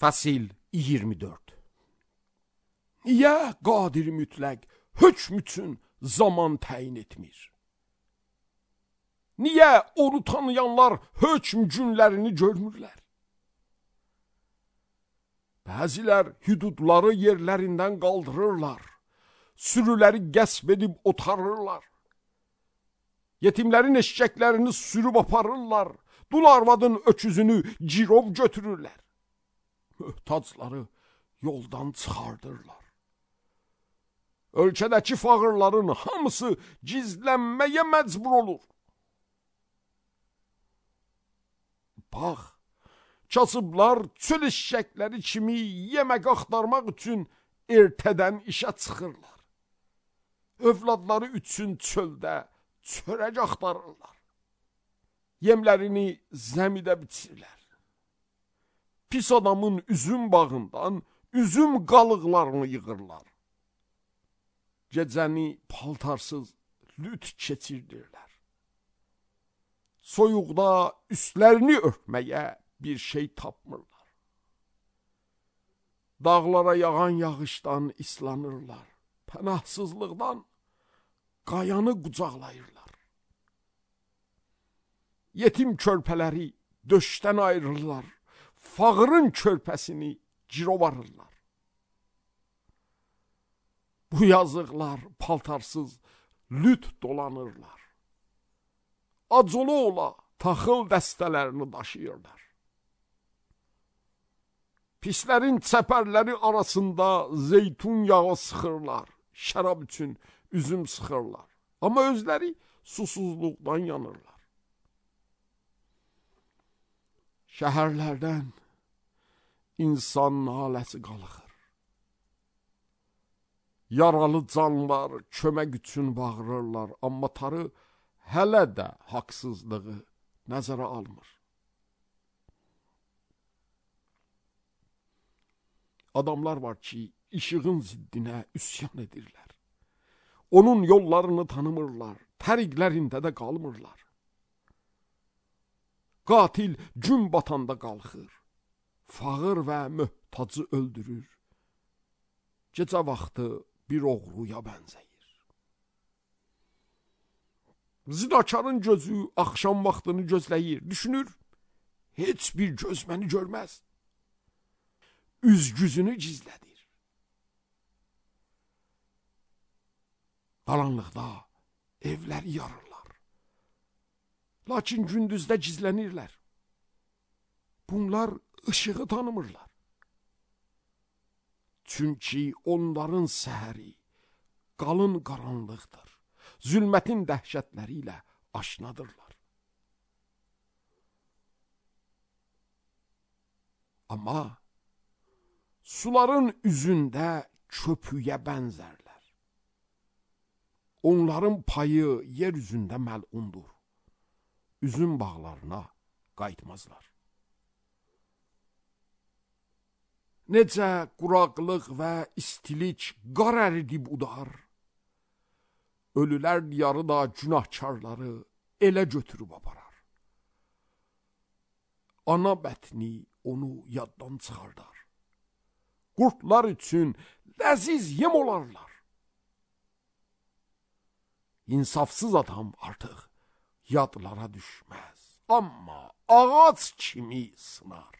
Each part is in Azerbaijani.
Fəsil 24. Niyə qadir mütləq hökm üçün zaman təyin etmir? Niyə onu tanıyanlar hökm günlərini görmürlər? Bəzilər hüdudları yerlərindən qaldırırlar, sürüləri qəsb edib otarırlar. Yetimlərin eşəklərini sürüb aparırlar, dul arvadın öküzünü girov götürürlər. Möhtacları yoldan çıxardırlar. Ölkədəki fağırların hamısı gizlənməyə məcbur olur. Bax, kasıblar çöl eşəkləri kimi yemək axtarmaq üçün ertədən işə çıxırlar. Övladları üçün çöldə çörək axtarırlar. Yemlərini zəmidə biçirlər. Pis adamın üzüm bağından üzüm qalıqlarını yığırlar. Gecəni paltarsız lüt keçirdirlər. Soyuqda üstlərini örtməyə bir şey tapmırlar. Dağlara yağan yağışdan islanırlar. Pənahsızlıqdan qayanı qucaqlayırlar. Yetim körpələri döşdən ayırırlar. Fağırın körpəsini girovarırlar. Bu yazıqlar paltarsız lüt dolanırlar. Acılı ola taxıl dəstələrini daşıyırlar. Pislərin çəpərləri arasında zeytun yağı sıxırlar. Şərab üçün üzüm sıxırlar. Amma özləri susuzluqdan yanırlar. Şəhərlərdən insan naləsi qalxır. Yaralı canlar kömək üçün bağırırlar, amma Tanrı hələ də haqsızlığı nəzərə almır. Adamlar var ki, işığın ziddinə üsyan edirlər. Onun yollarını tanımırlar, təriqlərində də qalmırlar. Qatil gün batanda qalxır, fağır və möhtacı öldürür. Gecə vaxtı bir oğruya bənzəyir. Zinakarın gözü axşam vaxtını gözləyir, düşünür, heç bir göz məni görməz. Üz-güzünü gizlədir. Qaranlıqda evləri yarırlar. Lakin gündüzdə gizlənirlər. Bunlar ışığı tanımırlar. Çünki onların səhəri qalın qaranlıqdır. Zülmətin dəhşətləri ilə aşnadırlar. Amma suların üzündə köpüyə bənzərlər. Onların payı yer üzündə məlundur. Üzüm bağlarına qayıtmazlar. Necə quraqlıq və istilik qar əridib udar, ölülər diyarı da günahkarları elə götürüb aparar. Ana bətni onu yaddan çıxardar. Qurtlar üçün ləziz yem olarlar. İnsafsız adam artıq yadlara düşməz, amma ağac kimi sınar.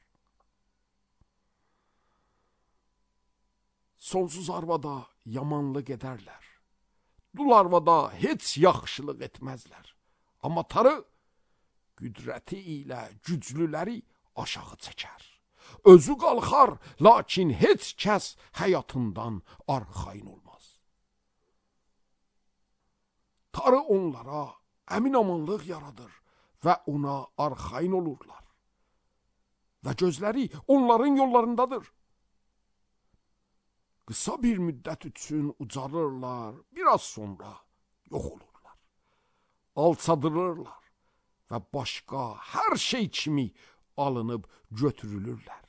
Sonsuz arvada yamanlıq edərlər. Dul arvada heç yaxşılıq etməzlər. Amma Tanrı qüdrəti ilə güclüləri aşağı çəkər. Özü qalxar, lakin heç kəs həyatından arxayın olmaz. Tanrı onlara əmin-amanlıq yaradır və ona arxayın olurlar. Və gözləri onların yollarındadır. Qısa bir müddət üçün ucarırlar, biraz sonra yox olurlar. Alçadılırlar və başqa hər şey kimi alınıb götürülürlər.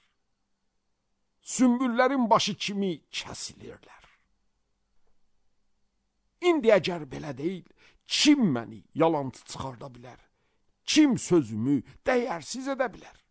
Sümbüllərin başı kimi kəsilirlər. İndi əgər belə deyil, kim məni yalancı çıxarda bilər? Kim sözümü dəyərsiz edə bilər?